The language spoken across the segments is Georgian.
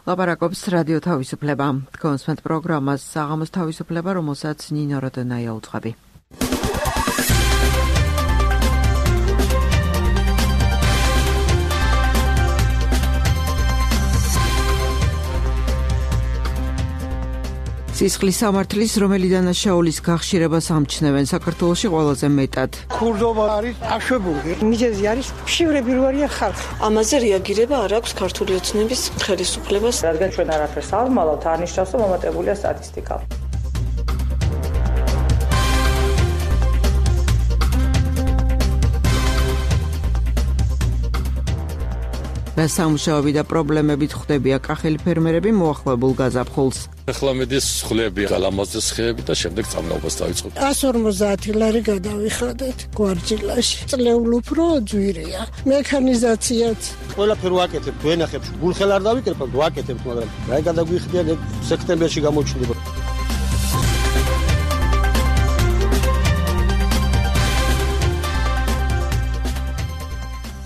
ლაპარაკობს რადიო თავისუფლება. კონსმენთ პროგრამას საღამოს თავისუფლება, რომელსაც ნინო როდენაია უძღვები. სისხლის სამართლის, რომელი დანაშაულის გახშირებას ამჩნევენ საქართველოში ყველაზე მეტად. ქურდობა არის აშვებული. მიზეზი არის ფშივრები რო არიან ხალხი. ამაზე რეაგირება არ აქვს ქართული ოცნების ხელისუფლებას. რადგან ჩვენ არაფერს ავმალავთ, არნიშნავს, რომ მომატებულია სტატისტიკა. სამუშაოები და პრობლემებით ხვდებიან კახელი ფერმერები მოახლებულ გაზაფხულს. ახლა მედის ხლები, გალამაზზე ხეები და შემდეგ წამნაობას დავიწყოთ. 150 ლარი გადავიხადეთ გვარჯილაში. წლეულ უფრო ძვირია. მექანიზაციაც. ყველაფერი ვაკეთებ, ვენახებ, გულხელ არ დავიკერებ, ვაკეთებ, მაგრამ რა გადაგვიხდიან სექტემბერში გამოჩნდება.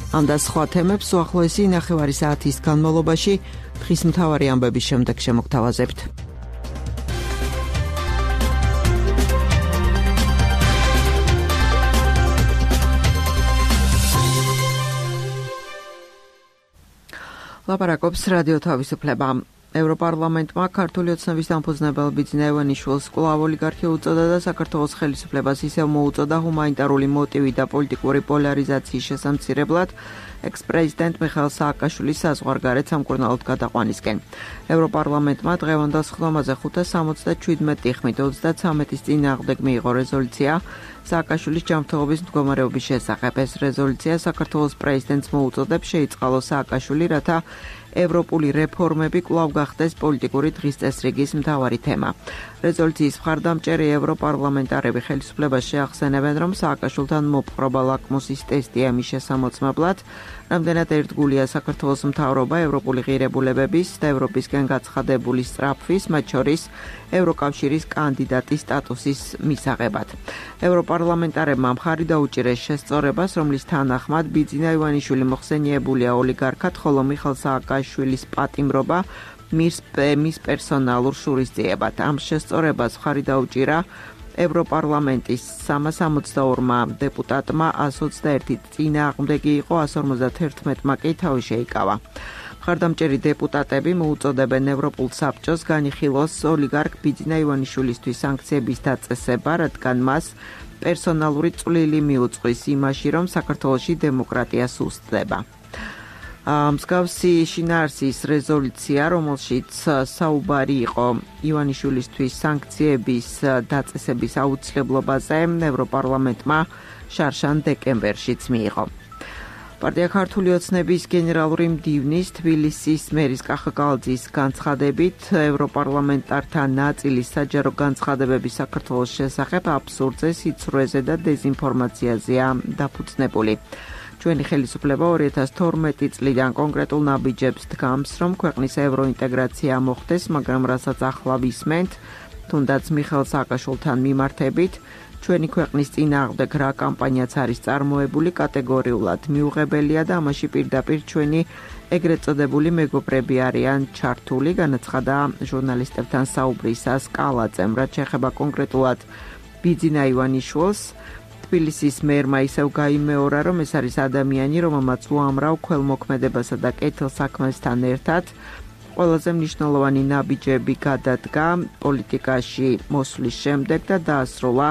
ამ და სხვა თემებს უახლოესი 9 საათის განმავლობაში დღის მთავარი ამბების შემდეგ შემოგთავაზებთ. ლაპარაკობს რადიო თავისუფლება. ევროპარლამენტმა ქართული ოცნების დამფუძნებელ ბიძინა ივანიშვილს კვლავ ოლიგარქი უწოდა და საქართველოს ხელისუფლებას ისევ მოუწოდა ჰუმანიტარული მოტივი და პოლიტიკური პოლარიზაციის შესამცირებლად ექს-პრეზიდენტ მიხაილ სააკაშვილის საზღვარგარეთ სამკურნალოდ გადაყვანისკენ. ევროპარლამენტმა დღევანდელ სხდომაზე 577 ხმით 33-ის წინააღმდეგ მიიღო რეზოლუცია სააკაშვილის ჯანმრთელობის მდგომარეობის შესახებ. ეს რეზოლუცია საქართველოს პრეზიდენტს მოუწოდებს შეიწყალოს სააკაშვილი, რათა ევროპული რეფორმები კვლავ გახდეს პოლიტიკური დღის წესრიგის მთავარი თემა. რეზოლუციის მხარდამჭერი ევროპარლამენტარები ხელისუფლებას შეახსენებენ, რომ სააკაშვილთან მოპყრობა ლაკმუსის ტესტია მის შესამოწმებლად, რამდენად ერთგულია საქართველოს მთავრობა ევროპული ღირებულებების და ევროპისკენ გაცხადებული სწრაფვის, მათ შორის ევროკავშირის კანდიდატის სტატუსის მისაღებად. ევროპარლამენტარებმა მხარი დაუჭირეს შესწორებას, რომლის თანახმად ბიძინა ივანიშვილი მოხსენიებულია ოლიგარქად, ხოლო მიხაილ სააკაშვილის პატიმრობა მის პერსონალურ შურისძიებად. ამ შესწორებას მხარი დაუჭირა ევროპარლამენტის 362 დეპუტატმა, 121 წინააღმდეგი იყო, 151-მა კი თავი შეიკავა. მხარდამჭერი დეპუტატები მოუწოდებენ ევროპულ საბჭოს განიხილოს ოლიგარქ ბიძინა ივანიშვილისთვის სანქციების დაწესება, რადგან მას პერსონალური წვლილი მიუძღვის იმაში, რომ საქართველოში დემოკრატია სუსტდება. მსგავსი შინაარსის რეზოლუცია, რომელშიც საუბარი იყო ივანიშვილისთვის სანქციების დაწესების აუცილებლობაზე, ევროპარლამენტმა შარშან დეკემბერშიც მიიღო. პარტია ქართული ოცნების გენერალური მდივნის თბილისის მერის კახა კალაძის განცხადებით, ევროპარლამენტართა ნაწილის საჯარო განცხადებები საქართველოს შესახებ აბსურდზე, სიცრუეზე და დეზინფორმაციაზეა დაფუძნებული. ჩვენი ხელისუფლება 2012 წლიდან კონკრეტულ ნაბიჯებს დგამს, რომ ქვეყნის ევროინტეგრაცია მოხდეს, მაგრამ რასაც ახლა ვისმენთ, თუნდაც მიხაილ სააკაშვილთან მიმართებით, ჩვენი ქვეყნის წინააღმდეგ რა კამპანიაც არის წარმოებული, კატეგორიულად მიუღებელია და ამაში პირდაპირ ჩვენი ეგრეთ წოდებული მეგობრები არიან ჩართული, განაცხადა ჟურნალისტებთან საუბრისას კალაძემ, რაც შეეხება კონკრეტულად ბიძინა ივანიშვილს. თბილისის მერმა ისევ გაიმეორა, რომ ეს არის ადამიანი, რომელმაც უამრავ ქველმოქმედებასა და კეთილსაქმესთან ერთად ყველაზე მნიშვნელოვანი ნაბიჯები გადადგა პოლიტიკაში მოსვლის შემდეგ და დაასრულა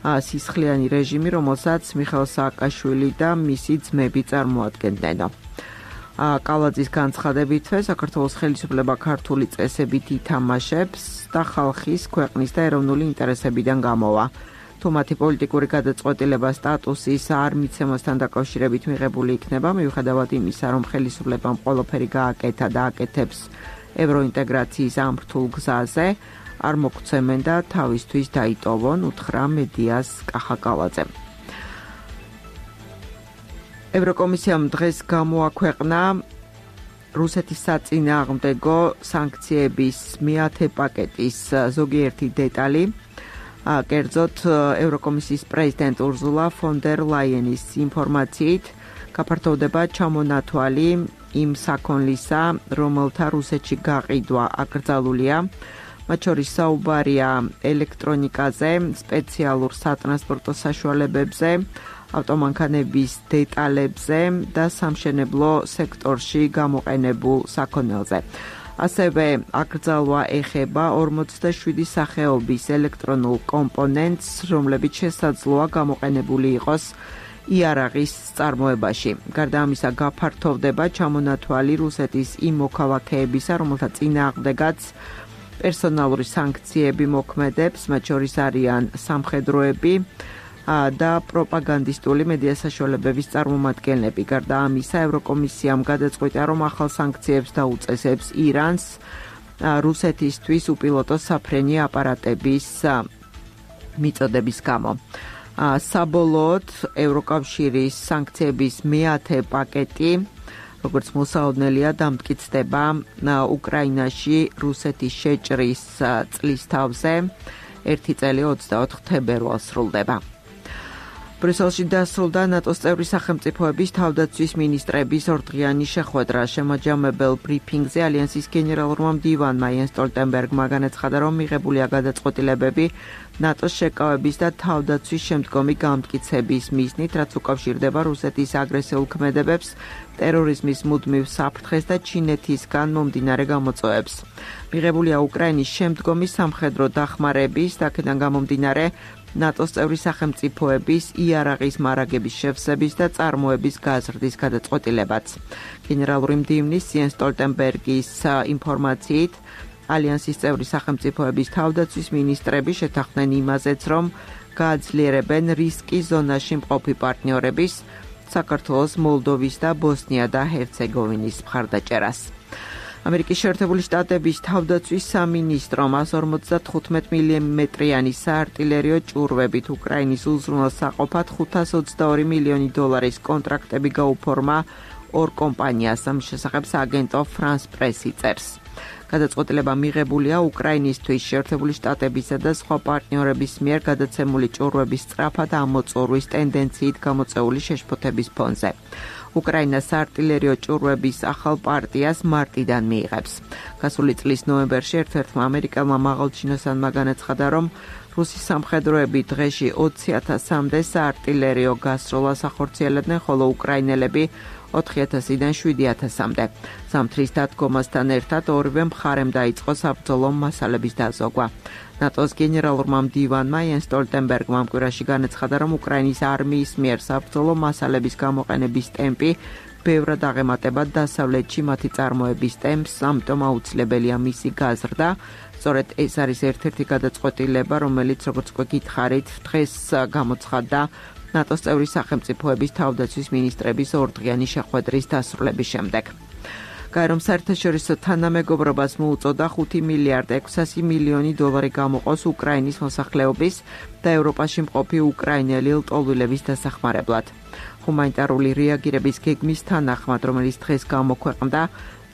სისხლიანი რეჟიმი, რომელსაც მიხაილ სააკაშვილი და მისი ძმები წარმოადგენდნენ. კალაძის განცხადებითვე საქართველოს ხელისუფლება ქართული წესებით ითამაშებს და ხალხის, ქვეყნის და ეროვნული ინტერესებიდან გამოვა. თუ მათი პოლიტიკური გადაწყვეტილება სტატუსის არ მიცემასთან დაკავშირებით მიღებული იქნება, მიუხედავად იმისა, რომ ხელისუფლებამ ყველაფერი გააკეთა და აკეთებს ევროინტეგრაციის ამ რთულ გზაზე, არ მოგცემენ და თავისთვის დაიტოვონ, უთხრა მედიას კახა კალაძემ. ევროკომისიამ დღეს გამოაქვეყნა რუსეთის საწინააღმდეგო სანქციების მეათე პაკეტის ზოგიერთი დეტალი. კერძოდ ევროკომისიის პრეზიდენტ ურზულა ფონ დერ ლაიენის ინფორმაციით გაფართოვდება ჩამონათვალი იმ საქონლისა, რომელთა რუსეთში გაყიდვა აკრძალულია. მათ შორის საუბარია ელექტრონიკაზე, სპეციალურ სატრანსპორტო საშუალებებზე, ავტომანქანების დეტალებზე და სამშენებლო სექტორში გამოყენებულ საქონელზე. ასევე აკრძალვა ეხება 47 სახეობის ელექტრონულ კომპონენტს, რომლებიც შესაძლოა გამოყენებული იყოს იარაღის წარმოებაში. გარდა ამისა, გაფართოვდება ჩამონათვალი რუსეთის იმ მოქალაქეებისა, რომელთა წინააღმდეგაც პერსონალური სანქციები მოქმედებს, მათ შორის არიან სამხედროები და პროპაგანდისტული მედია საშუალებების წარმომადგენლები. გარდა ამისა, ევროკომისიამ გადაწყვიტა, რომ ახალ სანქციებს დაუწესებს ირანს რუსეთისთვის უპილოტო საფრენი აპარატების მიწოდების გამო. საბოლოოდ, ევროკავშირის სანქციების მე-10 პაკეტი, როგორც მოსაოდნელია, დამტკიცდება უკრაინაში რუსეთის შეჭრის წლის თავზე. 1 წელი 24 თებერვალს სრულდება. ბრიუსელში დასრულდა ნატოს წევრი სახელმწიფოების თავდაცვის მინისტრების ორდღიანი შეხვედრა. შემაჯამებელ ბრიფინგზე ალიანსის გენერალურმა მდივანმა იენს სტოლტენბერგმა განაცხადა, რომ მიღებულია გადაწყვეტილებები ნატოს შეკავების და თავდაცვის შემდგომი გამტკიცების მიზნით, რაც უკავშირდება რუსეთის აგრესიულ ქმედებებს, ტერორიზმის მუდმივ საფრთხეს და ჩინეთისგან მომდინარე გამოწვევებს. მიღებულია უკრაინის შემდგომი სამხედრო დახმარების და აქედან გამომდინარე ნატოს წევრი სახელმწიფოების იარაღის მარაგების შევსების და წარმოების გაზრდის გადაწყვეტილებაც. გენერალური მდივნის იენს სტოლტენბერგის ინფორმაციით, ალიანსის წევრი სახელმწიფოების თავდაცვის მინისტრები შეთანხმდნენ იმაზეც, რომ გააძლიერებენ რისკის ზონაში მყოფი პარტნიორების, საქართველოს, მოლდოვის და ბოსნია და ჰერცეგოვინის მხარდაჭერას. ამერიკის შეერთებული შტატების თავდაცვის სამინისტრომ 155 მმ-იანი საარტილერიო ჭურვებით უკრაინის უზრუნველსაყოფად $522 მილიონი კონტრაქტები გაუფორმა ორ კომპანიას. ამ შესახებ სააგენტო France Press-ი წერს. გადაწყვეტილება მიღებულია უკრაინისთვის შეერთებული შტატებისა და სხვა პარტნიორების მიერ გადაცემული ჭურვების სწრაფად ამოწურვის ტენდენციით გამოწვეული შეშფოთების ფონზე. უკრაინა საარტილერიო ჭურვების ახალ პარტიას მარტიდან მიიღებს. გასული წლის ნოემბერში ერთ-ერთმა ამერიკელმა მაღალჩინოსანმა განაცხადა, რომ რუსი სამხედროები დღეში 20,000-მდე საარტილერიო გასროლას ახორციელებდნენ, ხოლო უკრაინელები 4,000-დან 7,000-მდე. ზამთრის დადგომასთან ერთად ორივე მხარემ დაიწყო საბრძოლო მასალების დაზოგვა. ნატოს გენერალურმა მდივანმა იენს სტოლტენბერგმა ამ კვირაში განაცხადა, რომ უკრაინის არმიის მიერ საბრძოლო მასალების გამოყენების ტემპი ბევრად აღემატება დასავლეთში მათი წარმოების ტემპს, ამიტომ აუცილებელია მისი გაზრდა. სწორედ ეს არის ერთ-ერთი გადაწყვეტილება, რომელიც, როგორც გითხარით, დღეს გამოცხადდა ნატოს წევრი სახელმწიფოების თავდაცვის მინისტრების ორდღიანი შეხვედრის დასრულების შემდეგ. გაერომ საერთაშორისო თანამეგობრობას მოუწოდა $5 მილიარდ 600 მილიონი გამოყოს უკრაინის მოსახლეობის და ევროპაში მყოფი უკრაინელი ლტოლვილების დასახმარებლად. ჰუმანიტარული რეაგირების გეგმის თანახმად, რომელიც დღეს გამოქვეყნდა,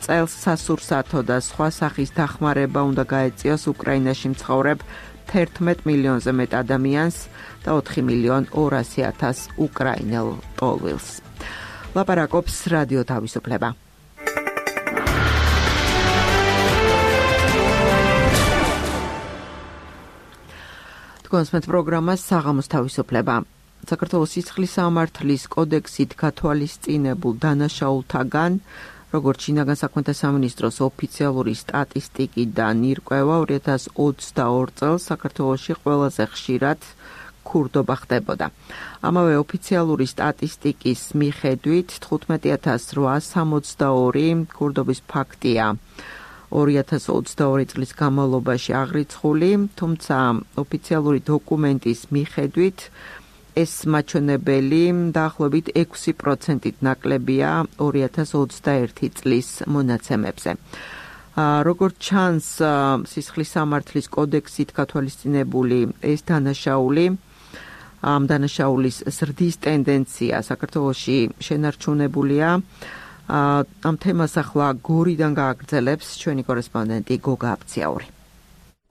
წელს სასურსათო და სხვა სახის დახმარება უნდა გაეწიოს უკრაინაში მცხოვრებ 11 მილიონზე მეტ ადამიანს და 4,200,000 უკრაინელ ლტოლვილს. ლაპარაკობს რადიო თავისუფლება. კონსმეთ პროგრამა საღამოს თავისუფლება. საქართველოს სისხლის სამართლის კოდექსით გათვალისწინებულ დანაშაულთაგან, როგორც შინაგან საქმეთა სამინისტროს ოფიციალური სტატისტიკიდან ირკვევა, 2022 წელს საქართველოში ყველაზე ხშირად ქურდობა ხდებოდა. ამავე ოფიციალური სტატისტიკის მიხედვით 15,862 ქურდობის ფაქტია 2022 წლის განმავლობაში აღრიცხული, თუმცა ოფიციალური დოკუმენტის მიხედვით ეს მაჩვენებელი დაახლოებით 6%-ით ნაკლებია 2021 წლის მონაცემებზე. როგორც ჩანს, სისხლის სამართლის კოდექსით გათვალისწინებული ეს დანაშაული, ამ დანაშაულის ზრდის ტენდენცია საქართველოში შენარჩუნებულია. ამ თემას ახლა გორიდან გააგრძელებს ჩვენი კორესპონდენტი გოგა აბციაური.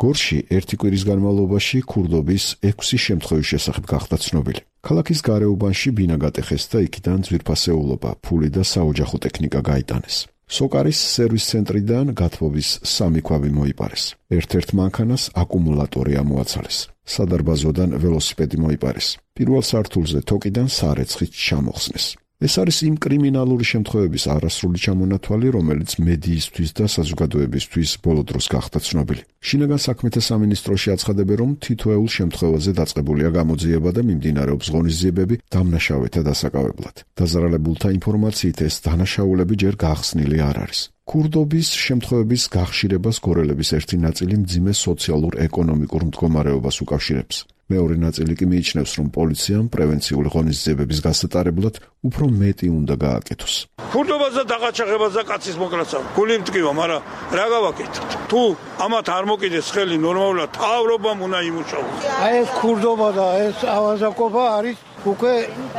გორში ერთი კვირის განმავლობაში ქურდობის 6 შემთხვევის შესახებ გახდა ცნობილი. ქალაქის გარეუბანში ბინა გატეხეს და იქიდან ძვირფასეულობა, ფული და საოჯახო ტექნიკა გაიტანეს. სოკარის სერვის ცენტრიდან გათბობის 3 ქვავი მოიპარეს. ერთ-ერთ მანქანას აკუმულატორი ამოაცალეს. სადარბაზოდან ველოსიპედი მოიპარეს. პირველ სართულზე თოკიდან სარეცხით ჩამოხსნეს. ეს არის იმ კრიმინალური შემთხვევების არასრული ჩამონათვალი, რომელიც მედიისთვის და საზოგადოებისთვის ბოლო დროს გახდა ცნობილი. შინაგან საქმეთა სამინისტროში აცხადებენ, რომ თითოეულ შემთხვევაზე დაწყებულია გამოძიება და მიმდინარეობს ღონისძიებები დამნაშავეთა დასაკავებლად. დაზარალებულთა ინფორმაციით ეს დანაშაულები ჯერ გახსნილი არ არის. ქურდობის შემთხვევების გახშირებას გორელების ერთი ნაწილი მძიმე სოციალურ-ეკონომიკურ მდგომარეობას უკავშირებს. მეორე ნაწილი კი მიიჩნევს, რომ პოლიციამ პრევენციული ღონისძიებების გასატარებლად უფრო მეტი უნდა გააკეთოს. ქურდობაზე დაღაჩაღებას და კაცის მოკლასავ. გული მტკივა, მაგრამ რა გავაკეთოთ? თუ ამათ არ მოკიდეს ხელი ნორმალურად, თავრობამ უნდა იმუშაოს. აი ეს ქურდობა და ეს ავაზაკობა არის უკვე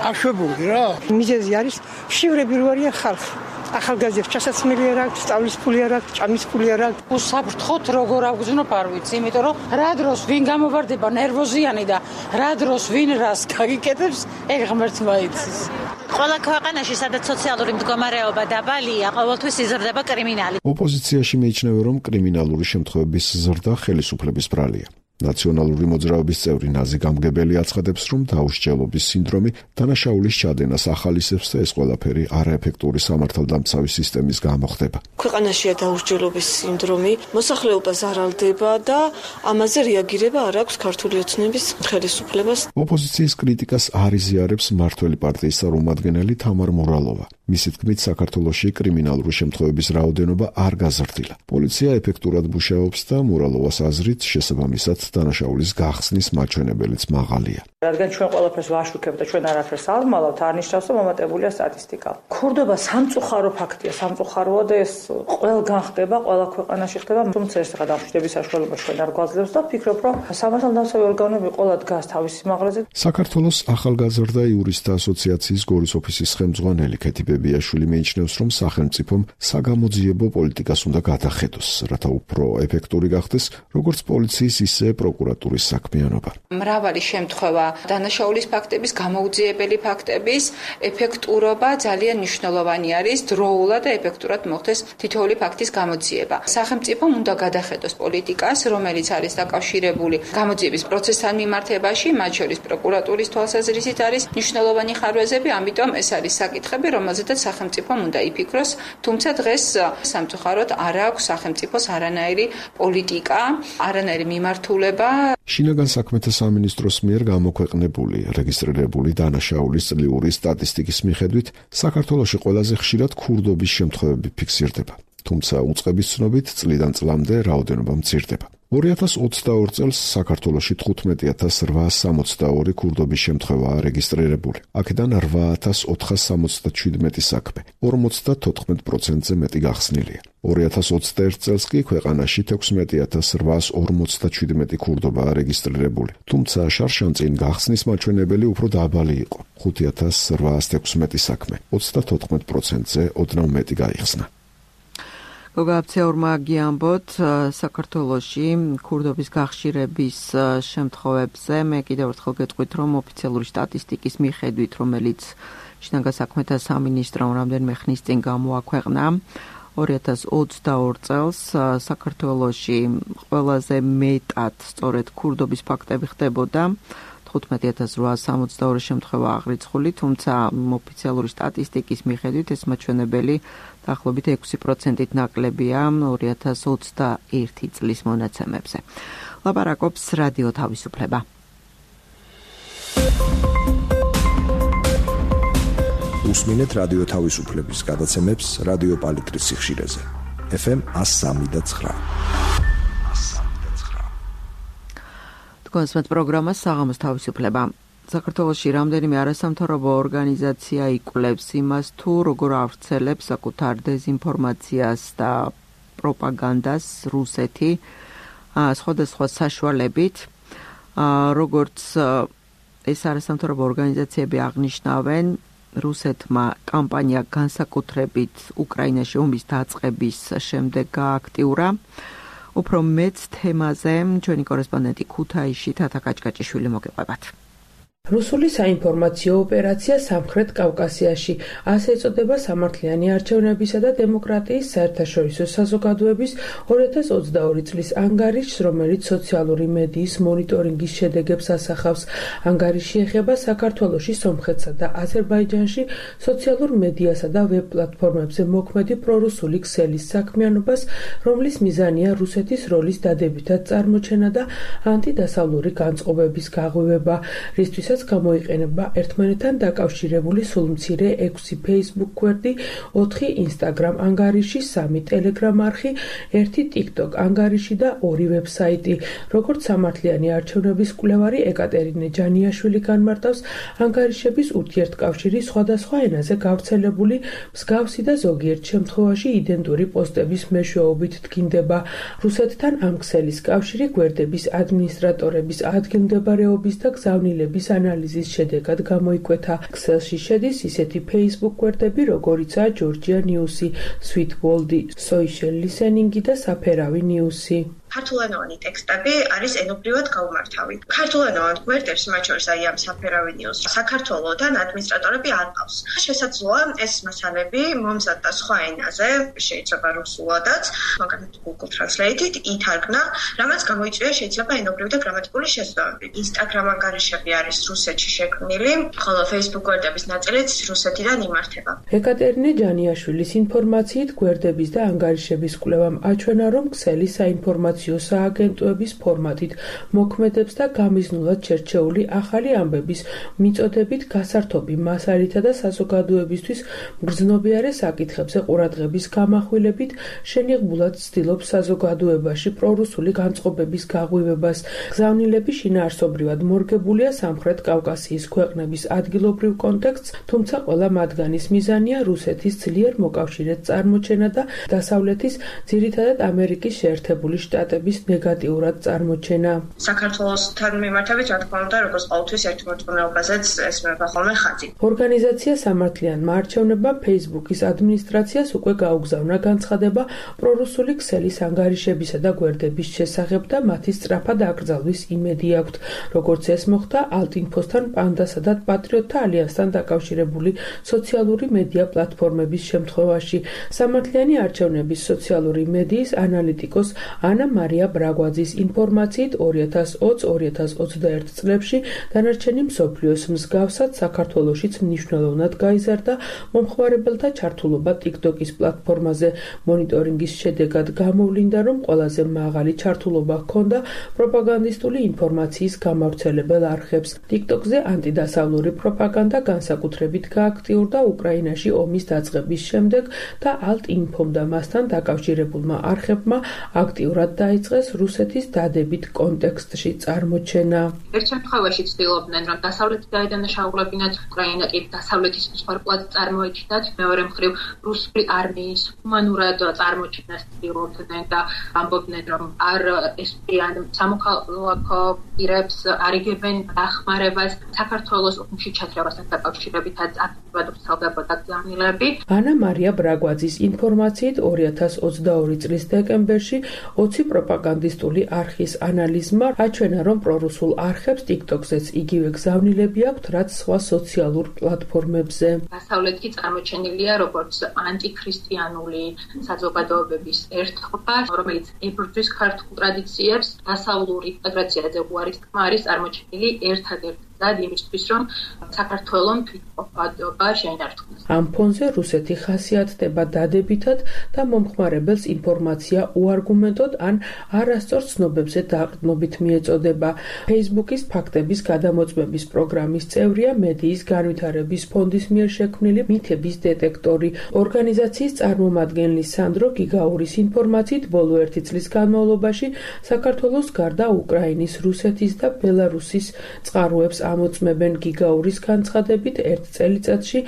აშვებული რა. მიზეზი არის შივრები რო არიან ხალხი. ახალგაზრდებს ჩასაცმელი არ აქვს, სწავლის ფული არ აქვს, ჭამის ფული არ აქვს. უსაფრთხოდ როგორ აგზნო არ ვიცი, იმიტომ რომ რა დროს ვინ გამოვარდება ნერვოზიანი და რა დროს ვინ რას გაგიკეთებს, ეგ ღმერთმა იცის. ყველა ქვეყანაში, სადაც სოციალური მდგომარეობა დაბალია, ყოველთვის იზრდება კრიმინალი. ოპოზიციაში მიიჩნევენ, რომ კრიმინალური შემთხვევების ზრდა ხელისუფლების ბრალია. ნაციონალური მოძრაობის წევრი ნაზი გამგებელი აცხადებს, რომ დაუსჯელობის სინდრომი დანაშაულის ჩადენას ახალისებს და ეს ყველაფერი არაეფექტური სამართალდამცავი სისტემის გამო ხდება. ქვეყანაშია დაუსჯელობის სინდრომი, მოსახლეობა ზარალდება და ამაზე რეაგირება არ აქვს ქართული ოცნების ხელისუფლებას. ოპოზიციის კრიტიკას არ იზიარებს მმართველი პარტიის წარმომადგენელი თამარ მურალოვა. მისი თქმით, საქართველოში კრიმინალური შემთხვევების რაოდენობა არ გაზრდილა. პოლიცია ეფექტურად მუშაობს და მურალოვას აზრით შესაბამისად დანაშაულის გახსნის მაჩვენებელიც მაღალია. რადგან ჩვენ ყველაფერს ვაშუქებთ და ჩვენ არაფერს არ ვმალავთ, არ ნიშნავს, რომ მომატებულია სტატისტიკა. ქურდობა სამწუხარო ფაქტია, სამწუხაროა და ეს ყველგან ხდება, ყველა ქვეყანაში ხდება, თუმცა ეს ახლა დამშვიდების საშუალება ჩვენ არ გვაძლევს და ვფიქრობ, რომ სამართალდამცავი ორგანოები ყველა დგას თავისი სიმაღლეზე. საქართველოს ახალგაზრდა იურისტთა ასოციაციის გორის ოფისის ხელმძღვანელი ქეთი ბებიაშვილი მიიჩნევს, რომ სახელმწიფომ საგამოძიებო პოლიტიკას უნდა გადახედოს, რათა უფრო ეფექტური გახდეს როგორც პოლიციის, ისე პროკურატურის საქმიანობა. მრავალი შემთხვევა დანაშაულის ფაქტების, გამოუძიებელი ფაქტების ეფექტურობა ძალიან მნიშვნელოვანი არის, დროულად და ეფექტურად მოხდეს თითოეული ფაქტის გამოძიება. სახელმწიფომ უნდა გადახედოს პოლიტიკას, რომელიც არის დაკავშირებული გამოძიების პროცესთან მიმართებაში, მათ შორის პროკურატურის თვალსაზრისით არის მნიშვნელოვანი ხარვეზები, ამიტომ ეს არის საკითხები, რომელზედაც სახელმწიფომ უნდა იფიქროს, თუმცა დღეს სამწუხაროდ არ აქვს სახელმწიფოს არანაირი პოლიტიკა, არანაირი მიმართულება. შინაგან საქმეთა სამინისტროს მიერ გამოქვეყნებული რეგისტრირებული დანაშაულის წლიური სტატისტიკის მიხედვით, საქართველოში ყველაზე ხშირად ქურდობის შემთხვევები ფიქსირდება. თუმცა უწყების ცნობით წლიდან წლამდე რაოდენობა მცირდება. 2022 წელს საქართველოში 15862 ქურდობის შემთხვევაა რეგისტრირებული. აქედან 8477 საქმე, 54%-ზე მეტი გახსნილია. 2021 წელს კი ქვეყანაში 16847 ქურდობაა რეგისტრირებული. თუმცა შარშანწინ გახსნის მაჩვენებელი უფრო დაბალი იყო. 5816 საქმე, 34%-ზე ოდნავ მეტი გაიხსნა. გოგაბცეურმა გიამბოთ საქართველოში ქურდობის გახშირების შემთხვევებზე მე კიდევ ერთხელ გეტყვით, რომ ოფიციალური სტატისტიკის მიხედვით, რომელიც შინაგან საქმეთა სამინისტრომ რამდენიმე ხნის წინ გამოაქვეყნა, 2022 წელს საქართველოში ყველაზე მეტად სწორედ ქურდობის ფაქტები ხდებოდა. 15862 შემთხვევა აღრიცხული, თუმცა ოფიციალური სტატისტიკის მიხედვით ეს მაჩვენებელი დაახლოებით 6%-ით ნაკლებია 2021 წლის მონაცემებზე. ლაპარაკობს რადიო თავისუფლება. უსმინეთ რადიო თავისუფლების გადაცემებს რადიო პალიტრის სიხშირეზე. FM 103.9. კონსმეთ პროგრამა საღამოს თავისუფლება. საქართველოში რამდენიმე არასამთავრობო ორგანიზაცია იკვლევს იმას, თუ როგორ ავრცელებს საკუთარ დეზინფორმაციას და პროპაგანდას რუსეთი სხვადასხვა საშუალებით. როგორც ეს არასამთავრობო ორგანიზაციები აღნიშნავენ, რუსეთმა კამპანია განსაკუთრებით უკრაინაში ომის დაწყების შემდეგ გააქტიურა. უფრო მეც თემაზე ჩვენი კორესპონდენტი ქუთაისში თათა კაჭკაჭიშვილი მოგიყვებათ. რუსული საინფორმაციო ოპერაცია სამხრეთ კავკასიაში, ასე ეწოდება სამართლიანი არჩევნებისა და დემოკრატიის საერთაშორისო საზოგადოების 2022 წლის ანგარიშს, რომელიც სოციალური მედიის მონიტორინგის შედეგებს ასახავს. ანგარიში ეხება საქართველოში, სომხეთსა და აზერბაიჯანში სოციალურ მედიასა და ვებ პლატფორმებზე მოქმედი პრორუსული ქსელის საქმიანობას, რომლის მიზანია რუსეთის როლის დადებითად წარმოჩენა და ანტიდასავლური განწყობების გაღვივება, რისთვისაც გამოიყენება ერთმანეთთან დაკავშირებული სულმცირე 6 Facebook გვერდი, 4 Instagram ანგარიში, 3 Telegram არხი, 1 TikTok ანგარიში და 2 ვებსაიტი. როგორც სამართლიანი არჩევნების კვლევარი ეკატერინე ჯანიაშვილი განმარტავს, ანგარიშების ურთიერთკავშირი სხვადასხვა ენაზე გავრცელებული მსგავსი და ზოგიერთ შემთხვევაში იდენტური პოსტების მეშვეობით დგინდება. რუსეთთან ამ ქსელის კავშირი გვერდების ადმინისტრატორების ადგილმდებარეობის და გზავნილების ანალიზის შედეგად გამოიკვეთა. ქსელში შედის ისეთი Facebook გვერდები, როგორიცაა Georgia News-ი, Sweet World-ი, Social Listening-ი და საფერავი News-ი. ქართულენოვანი ტექსტები არის ენობრივად გაუმართავი. ქართულენოვან გვერდებს, მათ შორის აი ამ საფერავი News, საქართველოდან ადმინისტრატორები არ ყავს. შესაძლოა ეს მასალები მომზადდა სხვა ენაზე, შეიძლება რუსულადაც, მაგალითად Google Translate-ით ითარგმნა, რამაც გამოიწვია შეიძლება ენობრივი და გრამატიკული შესაბამები. Instagram ანგარიშები არის რუსეთში შექმნილი, ხოლო Facebook გვერდების ნაწილიც რუსეთიდან იმართება. ეკატერინე ჯანიაშვილის ინფორმაციით, გვერდების და ანგარიშების კვლევამ აჩვენა, რომ ქსელი საინფორმაციო სააგენტოების ფორმატით მოქმედებს და გამიზნულად შერჩეული ახალი ამბების მიწოდებით გასართობი მასალითა და საზოგადოებისთვის მგრძნობიარე საკითხებზე ყურადღების გამახვილებით შენიღბულად ცდილობს საზოგადოებაში პრორუსული განწყობების გაღვივებას. გზავნილები შინაარსობრივად მორგებულია სამხრეთ კავკასიის ქვეყნების ადგილობრივ კონტექსტს, თუმცა ყველა მათგანის მიზანია რუსეთის ძლიერ მოკავშირედ წარმოჩენა და დასავლეთის, ძირითადად ამერიკის შეერთებული შტატების ნეგატიურად წარმოჩენა. საქართველოსთან მიმართებით, რა თქმა უნდა, როგორც ყოველთვის ერთ მოწყობილობაზეც ესმება ხოლმე ხაზი. ორგანიზაცია სამართლიანმა არჩევნებამ Facebook-ის ადმინისტრაციას უკვე გაუგზავნა განცხადება პრორუსული ქსელის ანგარიშებისა და გვერდების შესახებ და მათი სწრაფად აკრძალვის იმედი აქვთ. როგორც ეს მოხდა ალტინფოსთან, პანდასა და პატრიოტთა ალიანსთან დაკავშირებული სოციალური მედია პლატფორმების შემთხვევაში. სამართლიანი არჩევნების სოციალური მედიის ანალიტიკოს ანა მარია ბრაგვაძის ინფორმაციით 2020-2021 წლებში დანარჩენი მსოფლიოს მსგავსად საქართველოშიც მნიშვნელოვნად გაიზარდა მომხმარებელთა ჩართულობა TikTok-ის პლატფორმაზე. მონიტორინგის შედეგად გამოვლინდა, რომ ყველაზე მაღალი ჩართულობა ჰქონდა პროპაგანდისტული ინფორმაციის გამავრცელებელ არხებს. TikTok-ზე ანტიდასავლური პროპაგანდა განსაკუთრებით გააქტიურდა უკრაინაში ომის დაწყების შემდეგ და ალტ-ინფომ და მასთან დაკავშირებულმა არხებმა აქტიურად დაიწყეს რუსეთის დადებით კონტექსტში წარმოჩენა. ერთ შემთხვევაში ცდილობდნენ, რომ დასავლეთი დაედანაშაულებინათ უკრაინა კი დასავლეთის მსხვერპლად წარმოეჩინათ, მეორე მხრივ რუსული არმიის ჰუმანურად წარმოჩენას ცდილობდნენ და ამბობდნენ, რომ არ ესპიან სამოქალაქო პირებს, არ იგებენ დახმარებას, საქართველოს ომში ჩათრევასთან დაკავშირებითაც აქტიურად ვრცელდებოდა გზავნილები. ანა მარია ბრაგვაძის ინფორმაციით 2022 წლის დეკემბერში 20 პროპაგანდისტული არხის ანალიზმა აჩვენა, რომ პრორუსულ არხებს TikTok-ზეც იგივე გზავნილები აქვთ, რაც სხვა სოციალურ პლატფორმებზე. დასავლეთი წარმოჩენილია როგორც ანტიქრისტიანული საზოგადოებების ერთობა, რომელიც ებრძვის ქართულ ტრადიციებს, დასავლური ინტეგრაციაზე უარის თქმა არის წარმოჩენილი ერთადერთი იმისთვის, რომ საქართველოს თვითმყოფადობა შეინარჩუნოს. ამ ფონზე რუსეთი ხასიათდება დადებითად და მომხმარებელს ინფორმაცია უარგუმენტოდ ან არასწორ ცნობებზე დაყრდნობით მიეწოდება. Facebook-ის ფაქტების გადამოწმების პროგრამის წევრია მედიის განვითარების ფონდის მიერ შექმნილი მითების დეტექტორი. ორგანიზაციის წარმომადგენლის სანდრო გიგაურის ინფორმაციით, ბოლო 1 წლის განმავლობაში საქართველოს გარდა უკრაინის, რუსეთის და ბელარუსის წყაროებს ამოწმებენ. გიგაურის განცხადებით, ერთ წელიწადში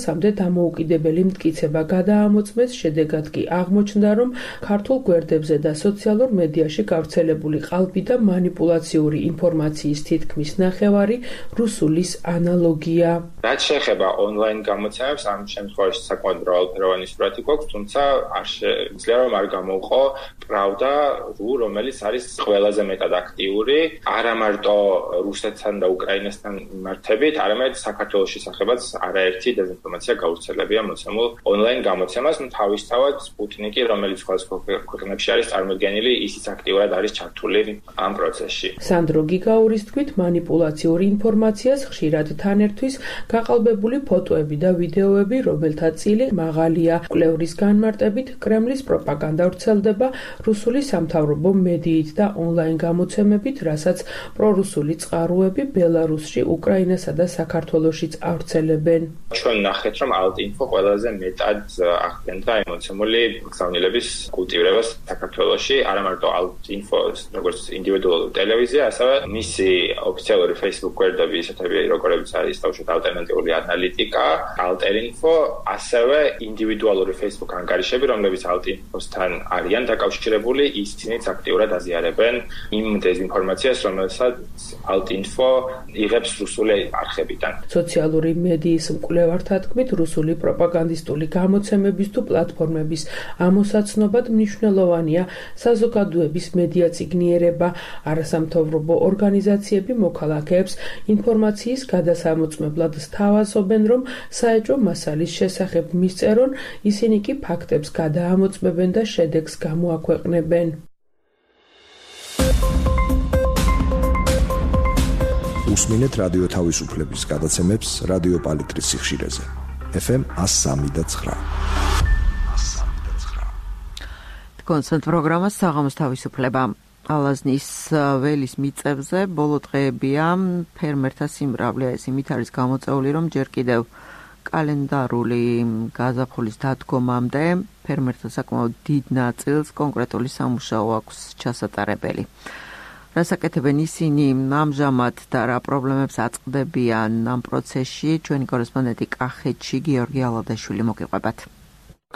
ამასამდე დამოუკიდებელი მტკიცება გადაამოწმეს, შედეგად კი აღმოჩნდა, რომ ქართულ გვერდებზე და სოციალურ მედიაში გავრცელებული ყალბი და манипуляციური ინფორმაციის თითქმის ნახევარი რუსულის ანალოგია. რაც შეეხება ონლაინ გამოცემებს, ამ შემთხვევაში საკმაოდ მრავალფეროვანი სურათი გვაქვს, თუმცა არ შეიძლება რომ არ გამოუყო პრავდა, რომელიც არის ყველაზე მეტად აქტიური, არა მარტო რუსეთთან და უკრაინასთან მიმართებით, არამედ საქართველოს შესახებაც არაერთი დეზინფორმაცია გავრცელებია მოცემულ ონლაინ გამოცემას, თავისთავად სპუტნიკი, რომელიც სხვადასხვა ქვეყნებში არის წარმოდგენილი, ისიც აქტიურად არის ჩართული ამ პროცესში. სანდრო გიგაურის თქმით, манипуляციური ინფორმაციას ხშირად თან ერთვის გაყალბებული ფოტოები და ვიდეოები, რომელთა წილი მაღალია. კვლევრის განმარტებით, კრემლის პროპაგანდა ვრცელდება რუსული სამთავრობო მედიით და ონლაინ გამოცემებით, რასაც პრორუსული წყაროები ბელარუსში, უკრაინასა და საქართველოშიც ავრცელებენ. ჩვენ ნახეთ, რომ ალტ-ინფო ყველაზე მეტად ახდენდა ემოციური გზავნილების კულტივირებას საქართველოში, არა მარტო ალტ-ინფოს, როგორც ინდივიდუალური ტელევიზია, ასევე მისი ოფიციალური Facebook გვერდები, ისეთები, როგორიც არის თავშოთ ალტერნატიული ანალიტიკა, ალტერ-ინფო, ასევე ინდივიდუალური Facebook ანგარიშები, რომლებიც ალტ-ინფოსთან არიან დაკავშირებული, ისინიც აქტიურად აზიარებენ იმ დეზინფორმაციას, რომელსაც ალტ-ინფო იღებს რუსული არხებიდან. სოციალური მედიის მკვლევართა თქმით, რუსული პროპაგანდისტული გამოცემების თუ პლატფორმების ამოსაცნობად მნიშვნელოვანია საზოგადოების მედია წიგნიერება. არასამთავრობო ორგანიზაციები მოქალაქეებს ინფორმაციის გადასამოწმებლად სთავაზობენ, რომ საეჭვო მასალის შესახებ მისწერონ, ისინი კი ფაქტებს გადაამოწმებენ და შედეგს გამოაქვეყნებენ. უსმინეთ რადიო თავისუფლების გადაცემებს რადიო პალიტრის სიხშირეზე. FM 103.9. კონცერტ პროგრამა საღამოს თავისუფლება. ალაზნის ველის მიწებზე ბოლო დღეებია ფერმერთა სიმრავლე, ეს იმით არის გამოწეული, რომ ჯერ კიდევ კალენდარული გაზაფხულის დადგომამდე ფერმერთა საკმაოდ დიდ ნაწილს კონკრეტული სამუშაო აქვს ჩასატარებელი. რასაკეთებენ ისინი ამჟამად და რა პრობლემებს აწყდებიან ამ პროცესში, ჩვენი კორესპონდენტი კახეთში გიორგი ალადაშვილი მოგიყვებათ.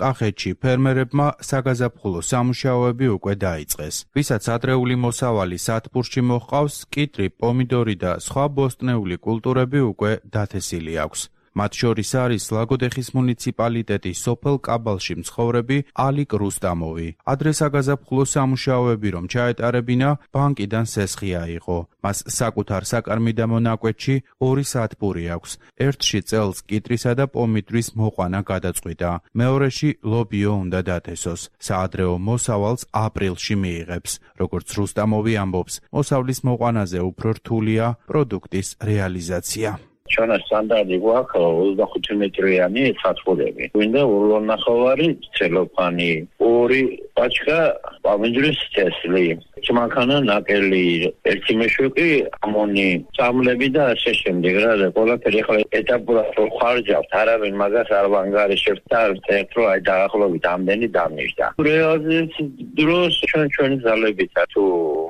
კახეთში ფერმერებმა საგაზაფხულო სამუშაოები უკვე დაიწყეს. ვისაც ადრეული მოსავალი სათბურში მოჰყავს, კიტრი, პომიდორი და სხვა ბოსტნეული კულტურები უკვე დათესილი აქვს. მათ შორის არის ლაგოდეხის მუნიციპალიტეტის სოფელ კაბალში მცხოვრები ალიკ რუსტამოვი. ადრე საგაზაფხულო სამუშაოები რომ ჩაეტარებინა, ბანკიდან სესხი აიღო. მას საკუთარ საკარმი და მონაკვეთში 2 სათბური აქვს. ერთში წელს კიტრისა და პომიდრის მოყვანა გადაწყვიტა. მეორეში ლობიო უნდა დათესოს. საადრეო მოსავალს აპრილში მიიღებს. როგორც რუსტამოვი ამბობს, მოსავლის მოყვანაზე უფრო რთულია პროდუქტის რეალიზაცია. ჩვენ სტანდარტი გვაქვს 25 მეტრიანი სათბურები. გვინდა ურულონახევარი ცელოფანი, 2 პაჩკა პომიდრის თესლი, მანქანა ნაკელი, 1 მეშვეყი ამონი, წამლები და ასე შემდეგ. რა და ყველაფერი ახლა ეტაპურად ხარჯავთ, არავინ მაგას არ ვანგარიშებთ და ერთ რო აი დაახლოებით ამდენი დამიждდა. რეალიზაციის დროს ჩვენი ძალებით თუ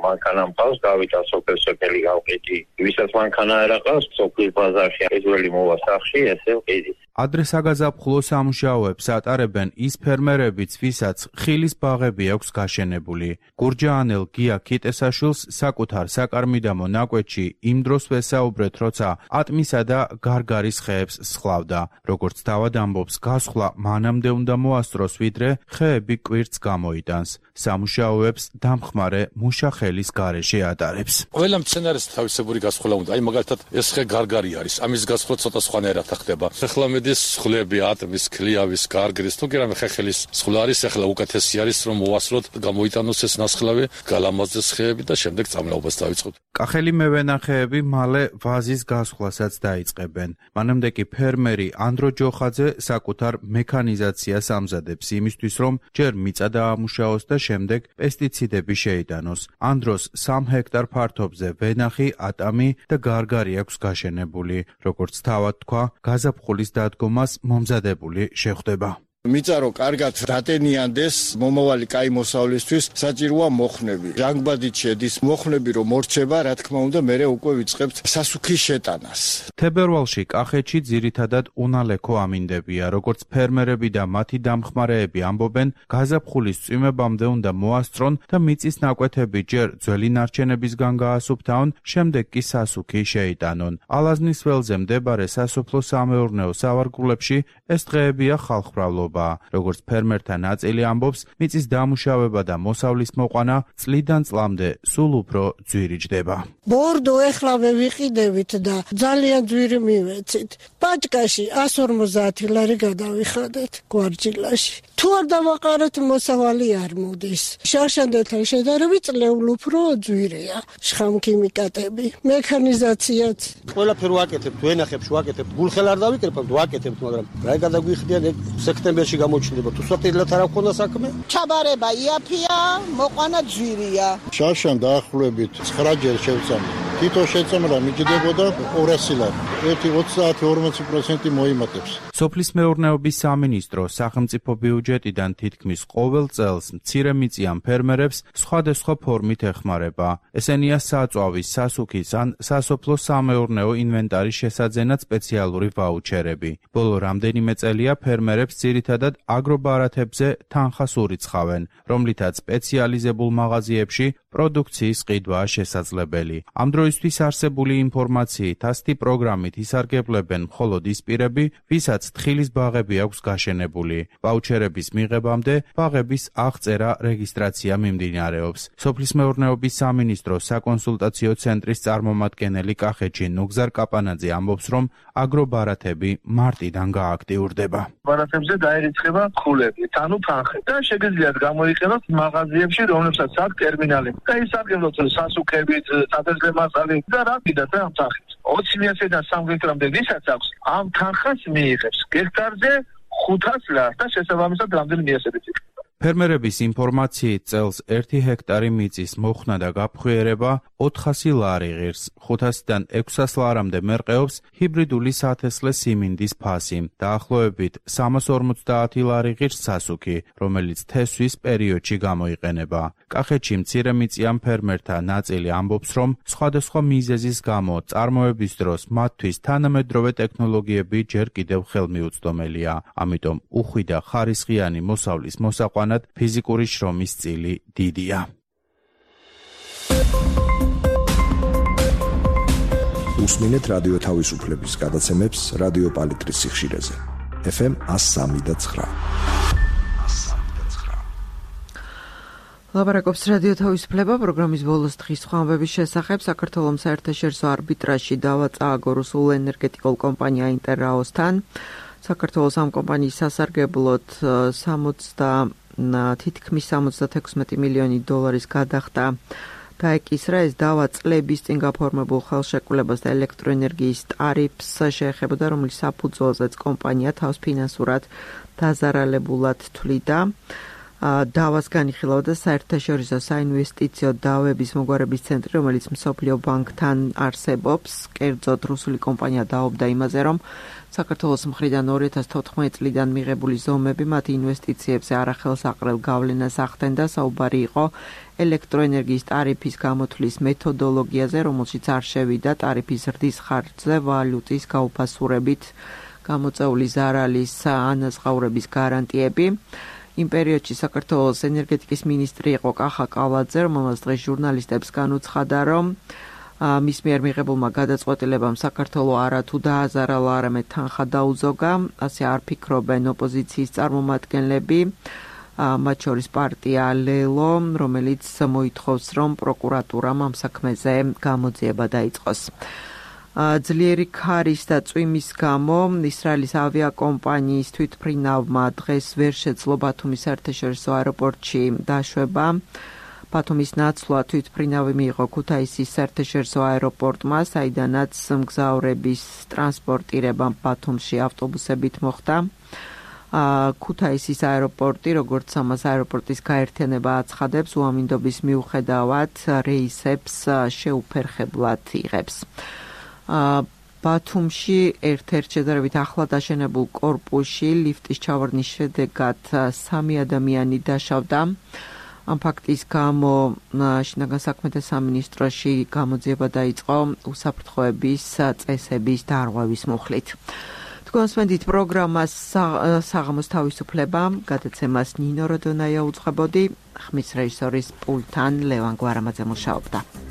მანქანა მყავს, გავიდა სოფელი გავყიდი. ვისაც მანქანა არ აყავს, სოფლის ბაზარში ეძველი მოვა სახში, ესე ვყიდი. ადრე საგაზაფხულო სამუშაოებს ატარებენ ის ფერმერებიც, ვისაც ხილის ბაღები აქვს გაშენებული. გურჯაანელ გია ქიტესაშვილს საკუთარ საკარმი და მონაკვეთში იმ დროს ვესაუბრეთ, როცა ატმისა და გარგარის ხეებს სხლავდა. როგორც თავად ამბობს, გასხლა მანამდე უნდა მოასწროს, ვიდრე ხეები კვირტს გამოიტანს. სამუშაოებს დამხმარე მუშახელის გარეშე ატარებს. ყველა მცენარეს თავისებური გასხლა უნდა. აი მაგალითად ეს ხე გარგარი არის. ამის გასხლა ცოტა სხვანაირად ხდება. ახლა მედის სხლები, ატმის, ქლიავის, გარგრის, თუ კი რამე ხეხილის სხლა არის, ახლა უკეთესი არის რომ მოასწროთ, გამოიტანოს ეს ნასხლავი, გალამაზდეს ხეები და შემდეგ წამლაობას დავიწყოთ. კახელი მევენახეები მალე ვაზის გასხლასაც დაიწყებენ. მანამდე კი ფერმერი ანდრო ჯოხაძე საკუთარ მექანიზაციას ამზადებს იმისთვის, რომ ჯერ მიწა დაამუშაოს და შემდეგ პესტიციდები შეიტანოს. ანდროს 3 ჰექტარ ფართობზე ვენახი, ატამი და გარგარი აქვს გაშენებული. როგორც თავად თქვა, გაზაფხულის დადგომას მომზადებული შეხვდება. მიწარო კარგად დატენიანდეს მომავალი კაი მოსავლისთვის საჭიროა მოხნები. ჟანგბადით შედის მოხნები რომ მორჩება, რა თქმა უნდა, მერე უკვე ვიწყებთ სასუქის შეტანას. თებერვალში კახეთში ძირითადად უნალექო ამინდებია, როგორც ფერმერები და მათი დამხმარეები ამბობენ, გაზაფხულის წვიმებამდე უნდა მოასწრონ და მიწის ნაკვეთები ჯერ ძველი ნარჩენებისგან გაასუფთავონ, შემდეგ კი სასუქი შეიტანონ. ალაზნის ველზე მდებარე სასოფლო-სამეურნეო სავარგულებში ეს დღეებია ხალხმრავლობა. როგორც ფერმერთა ნაწილი ამბობს, მიწის დამუშავება და მოსავლის მოყვანა წლიდან წლამდე სულ უფრო ძვირიჯდება. ბორდო ეხლავე ვიყიდებით და ძალიან ძვირი მივეცით. პაჭკაში 150 ლარი გადავიხადეთ გვარჯილაში. თუ არ დავაყარეთ მოსავალი არ მოდის. შარშანდელთან შედარებით წლეულ უფრო ძვირია. შხამქიმიკატები, მექანიზაციაც. ყველაფერი ვაკეთებთ, ვენახებს ვაკეთებთ. გულხელ არ დავიკრებთ, ვაკეთებთ, მაგრამ რა გადაგვიხდიან სექტემბერში გამოჩნდება. თუ სათილად არ აქვს საქმე? ჩაბარება იაფია, მოყვანა ძვირია. შარშან დაახლოებით 9 ჯერ შევწამე. თითო შეწამლა მიჯდებოდა 200 ლარი. 30-40% მოიმატებს. სოფლის მეურნეობის სამინისტრო სახელმწიფო ბიუჯეტიდან თითქმის ყოველ წელს მცირემიწიან ფერმერებს სხვადასხვა ფორმით ეხმარება. ესენია საწვავის, სასუქის ან სასოფლო-სამეურნეო ინვენტარის შესაძენად სპეციალური ვაუჩერები. ბოლო რამდენიმე წელია ფერმერებს ძირითადად აგრობარათებზე თანხას ურიცხავენ, რომლითაც სპეციალიზებულ მაღაზიებში პროდუქციის ყიდვაა შესაძლებელი. ამ დროისთვის არსებული ინფორმაციით ასეთი პროგრამით ისარგებლებენ მხოლოდ ის პირები, ვისაც თხილის ბაღები აქვს გაშენებული. ვაუჩერების მიღებამდე ბაღების აღწერა რეგისტრაცია მიმდინარეობს. სოფლის მეურნეობის სამინისტროს საკონსულტაციო ცენტრის წარმომადგენელი კახეთში ნუგზარ კაპანაძე ამბობს, რომ აგრობარათები მარტიდან გააქტიურდება. ბარათებზე დაერიცხება ხულები, ანუ თანხები და შეგიძლიათ გამოიყენოთ მაღაზიებში, რომლებსაც აქვს ტერმინალი. და ისარგებლოთ სასუქებით, სადაზრე მასალით და რა კიდაც ამ სახით. 20-დან 3 გექტარამდე ვისაც აქვს, ამ თანხას მიიღებს გექტარზე 500 ლარს და შესაბამისად რამდენი მიესებეთ. ფერმერების ინფორმაციით წელს 1 ჰექტარი მიწის მოხსნა და გაფხვიერება 400 ლარი ღირს, 500-დან 600 ლარამდე მერყეობს ჰიბრიდული სათესლე სიმინდის ფასი, დაახლოებით 350 ლარი ღირს სასუქი, რომელიც თესვის პერიოდში გამოიყენება. კახეთში მცირემიწიან ფერმერთა ნაწილი ამბობს, რომ სხვადასხვა მიზეზის გამო წარმოების დროს მათთვის თანამედროვე ტექნოლოგიები ჯერ კიდევ ხელმიუწვდომელია. ამიტომ უხვი და ხარისხიანი მოსავლის მოსაყვანად ფიზიკური შრომის წილი დიდია. უსმინეთ რადიო თავისუფლების გადაცემებს რადიო პალიტრის სიხშირეზე. FM 103.9. ლაპარაკობს რადიო თავისუფლება პროგრამის ბოლოს დღის ხმამების შესახებ. საქართველოს საერთაშორისო არბიტრაჟში დავა წააგო რუსულ ენერგეტიკულ კომპანია ინტერრაოსთან. საქართველოს ამ კომპანიის სასარგებლოდ თითქმის 76 მილიონი დოლარის გადახდა დაეკისრა. ეს დავა წლების წინ გაფორმებულ ხელშეკრულებას და ელექტროენერგიის ტარიფს შეეხებოდა, რომლის საფუძველზეც კომპანია თავს ფინანსურად დაზარალებულად თვლიდა. დავას განიხილავდა საერთაშორისო საინვესტიციო დავების მოგვარების ცენტრი, რომელიც მსოფლიო ბანკთან არსებობს. კერძოდ რუსული კომპანია დაობდა იმაზე, რომ საქართველოს მხრიდან 2014 წლიდან მიღებული ზომები მათ ინვესტიციებზე არახელსაყრელ გავლენას ახდენდა. საუბარი იყო ელექტროენერგიის ტარიფის გამოთვლის მეთოდოლოგიაზე, რომელშიც არ შევიდა ტარიფის ზრდის ხარჯზე ვალუტის გაუფასურებით გამოწეული ზარალის ანაზღაურების გარანტიები. იმ პერიოდში საქართველოს ენერგეტიკის მინისტრი იყო კახა კალაძე, რომელმაც დღეს ჟურნალისტებს განუცხადა, რომ მის მიერ მიღებულმა გადაწყვეტილებამ საქართველოს არათუ დააზარალა, არამედ თანხა დაუზოგა. ასე არ ფიქრობენ ოპოზიციის წარმომადგენლები, მათ შორის პარტია ლელო, რომელიც მოითხოვს, რომ პროკურატურამ ამ საქმეზე გამოძიება დაიწყოს. ძლიერი ქარის და წვიმის გამო ისრაელის ავიაკომპანიის თვითმფრინავმა დღეს ვერ შეძლო ბათუმის საერთაშორისო აეროპორტში დაშვება. ბათუმის ნაცვლად თვითმფრინავი მიიღო ქუთაისის საერთაშორისო აეროპორტმა, საიდანაც მგზავრების ტრანსპორტირება ბათუმში ავტობუსებით მოხდა. ქუთაისის აეროპორტი, როგორც ამას აეროპორტის გაერთიანება აცხადებს, უამინდობის მიუხედავად რეისებს შეუფერხებლად იღებს. ბათუმში ერთ-ერთ შედარებით ახლად აშენებულ კორპუსში ლიფტის ჩავარდნის შედეგად 3 ადამიანი დაშავდა. ამ ფაქტის გამო შინაგან საქმეთა სამინისტროში გამოძიება დაიწყო უსაფრთხოების წესების დარღვევის მუხლით. თქვენსმენდით პროგრამას საღამოს თავისუფლება, გადაცემას ნინო როდონაია უძღვებოდი, ხმის რეჟისორის პულტთან ლევან გვარამაძე მუშაობდა.